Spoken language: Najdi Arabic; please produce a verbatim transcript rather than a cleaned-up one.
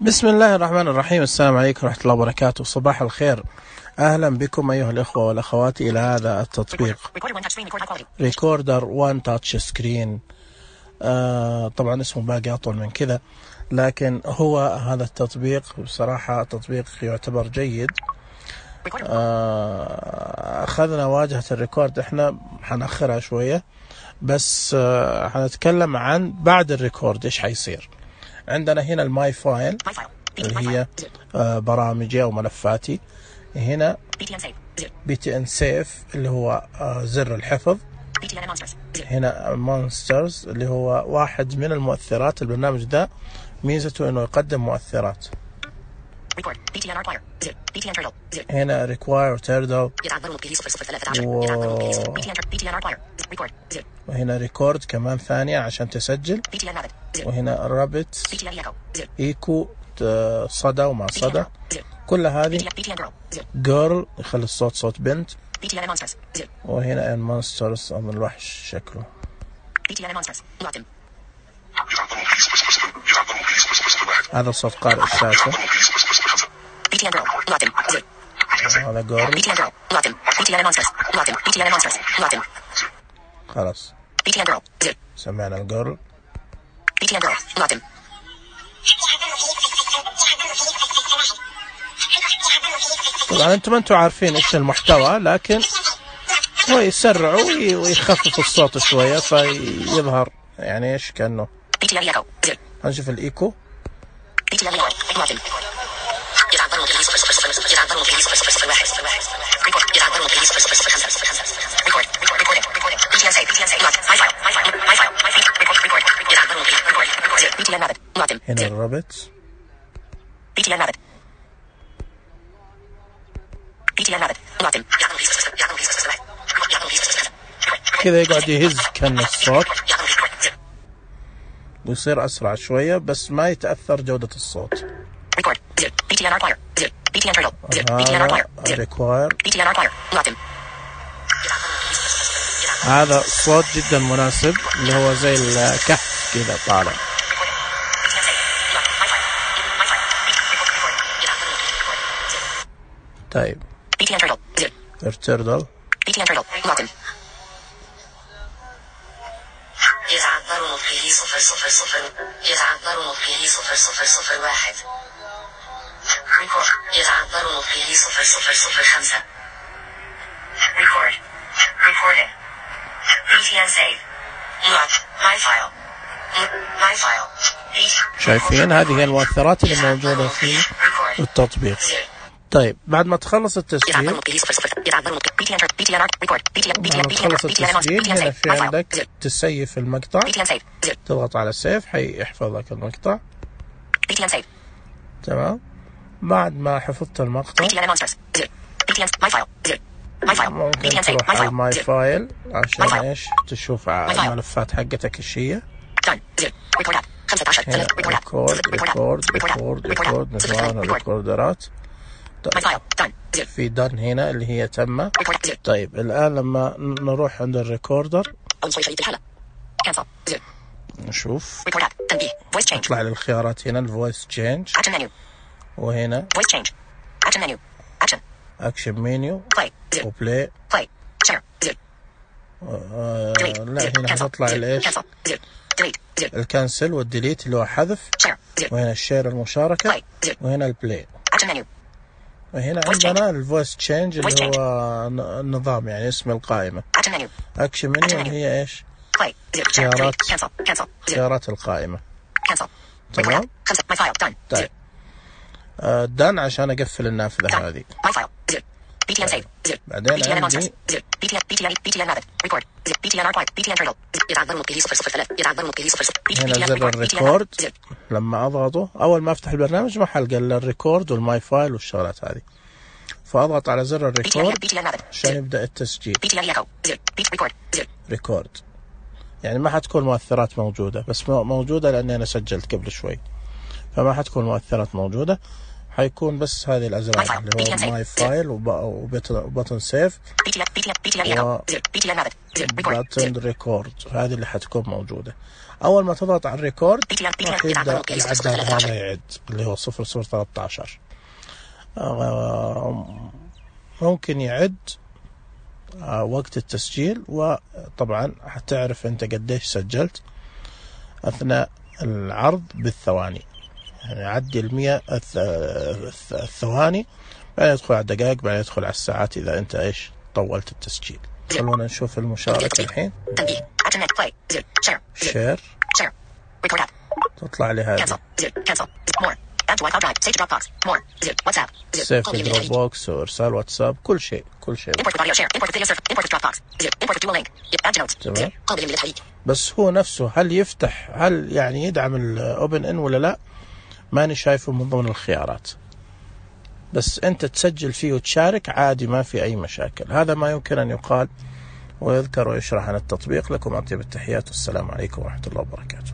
بسم الله الرحمن الرحيم. السلام عليكم ورحمة الله وبركاته. صباح الخير. أهلا بكم أيها الإخوة والأخوات إلى هذا التطبيق ريكوردر وان تاتش سكرين. آه طبعا اسمه باقي أطول من كذا، لكن هو هذا التطبيق بصراحة تطبيق يعتبر جيد. آه أخذنا واجهة الريكورد، احنا حنأخرها شوية بس آه حنتكلم عن بعد الريكورد ايش حيصير. عندنا هنا الماي فايل اللي هي آه برامجي أو ملفاتي. هنا بي تي ان سيف اللي هو آه زر الحفظ. هنا مونسترز اللي هو واحد من المؤثرات. البرنامج ده ميزته انه يقدم مؤثرات. هنا ريكواير تيردل، وهنا ريكورد كمان ثانية عشان تسجل. وهنا رابط ايكو صدى وما صدى. كل هذه جيرل يخلي الصوت صوت بنت. وهنا المونسترز من الوحش شكله. هذا صوت قارئ الشاشة. هذا جيرل. خلاص سمعنا الجيرل. طبعا انتم انتم عارفين ايش المحتوى، لكن هو يسرع ويخفف الصوت شوية فيظهر يعني ايش كأنه. هنشوف الايكو. هنا الرابط. كذا يقعد يهز كأن الصوت ويصير أسرع شوية بس ما يتأثر جودة الصوت. هذا الصوت جدا مناسب اللي هو زي الكهف كذا طالع. طيب ارتردل. يتعبر نطقه صفر صفر صفر. يتعبر نطقه صفر صفر صفر واحد. ريكورد. يتعبر نطقه صفر صفر صفر خمسة. ريكورد. ريكوردينج. بي تي ان سيف. نوت. ماي فايل. ماي فايل. شايفين هذه هي المؤثرات اللي موجودة في التطبيق. طيب بعد ما تخلص التسجيل بعد ما تخلص التسجيل هنا في عندك تسيف المقطع. تضغط على سيف حيحفظ لك المقطع. تمام. بعد ما حفظت المقطع ممكن تروح على الماي فايل عشان ايش تشوف الملفات حقتك ايش هي. هنا ريكورد ريكورد ريكورد ريكورد نظام الريكوردرات. طيب. في دن هنا اللي هي تم. طيب الآن لما نروح عند الريكوردر نشوف نطلع للخيارات. هنا الفويس تشينج، وهنا اكشن منيو وبلاي. آه لا هنا هتطلع الايش الكنسل والديليت اللي هو حذف. وهنا الشير المشاركة. وهنا البلاي. وهنا عندنا الفويس تشينج اللي هو النظام يعني اسم القائمة. اكشن منيو هي ايش خيارات خيارات القائمة. تمام. طيب آه دان عشان اقفل النافذة هذه. بعدين عندي هنا زر الريكورد. لما اضغطه اول ما افتح البرنامج ما حلقى الا الريكورد والماي فايل والشغلات هذه، فاضغط على زر الريكورد عشان يبدأ التسجيل. ريكورد يعني ما حتكون مؤثرات موجودة، بس موجودة لاني انا سجلت قبل شوي فما حتكون مؤثرات موجودة. حيكون بس هذه الأزرار اللي هو ماي فايل وبطن سيف وبطن ريكورد، هذه اللي حتكون موجودة. أول ما تضغط على الريكورد راح يبدأ العداد هذا يعد اللي هو صفر صفر ثلاثة عشر. ممكن يعد وقت التسجيل، وطبعا حتعرف أنت قديش سجلت أثناء العرض بالثواني، يعني يعدي المية الثواني، بعدين يدخل على الدقائق، بعدين يدخل على الساعات إذا أنت إيش طولت التسجيل. خلونا نشوف المشاركة الحين. شير تطلع لي هذه سيف دروب بوكس وإرسال واتساب، كل شيء كل شيء تمام. بس هو نفسه هل يفتح، هل يعني يدعم الأوبن إن ولا لا، ماني شايفه من ضمن الخيارات. بس أنت تسجل فيه وتشارك عادي، ما في أي مشاكل. هذا ما يمكن أن يقال ويذكر ويشرح عن التطبيق. لكم أطيب التحيات والسلام عليكم ورحمة الله وبركاته.